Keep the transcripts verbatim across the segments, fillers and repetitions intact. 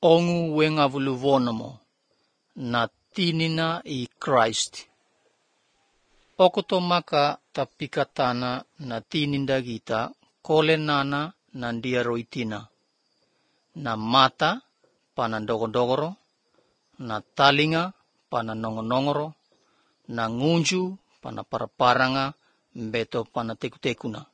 ongu wenga vuluvonomo na tinina i Christ. Okoto maka tapikatana na tininda gita kole nana nandia roitina. Na mata pana dogodogoro, na talinga pana nongonongoro, na ngunju pana paraparanga beto pana tekutekuna.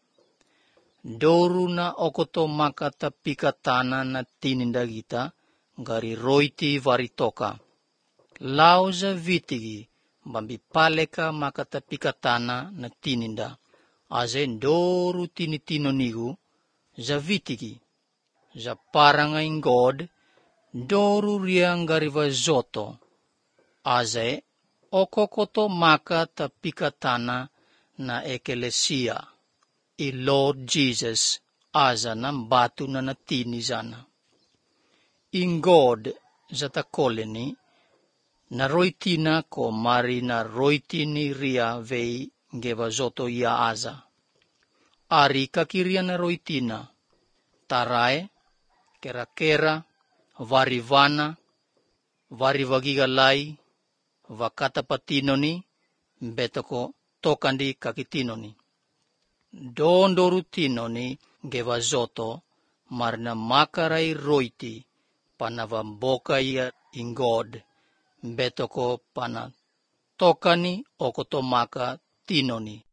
Doru na okoto maka tapikatana na tininda gita gari roiti varitoka. Lauza vitigi bambi paleka maka tapikatana na tininda. Aze doru tinitino nigu za vitigi. Za paranga in God doru riang gari vazoto. Aze okokoto maka tapikatana na ekelesia. I Lord Jesus aza ng batu na natini zana. In God zata koleni na roitina ko mari na roitini ria vei gevazoto ya aza. Ari kakiria na roitina tarae, kera-kera, varivana, varivagigalai, vakatapatinoni, betoko tokandi kakitinoni. Dondoru tinoni gevazoto marna makarai roiti panavamboka ya in God betoko pana tokani okoto maka tinoni.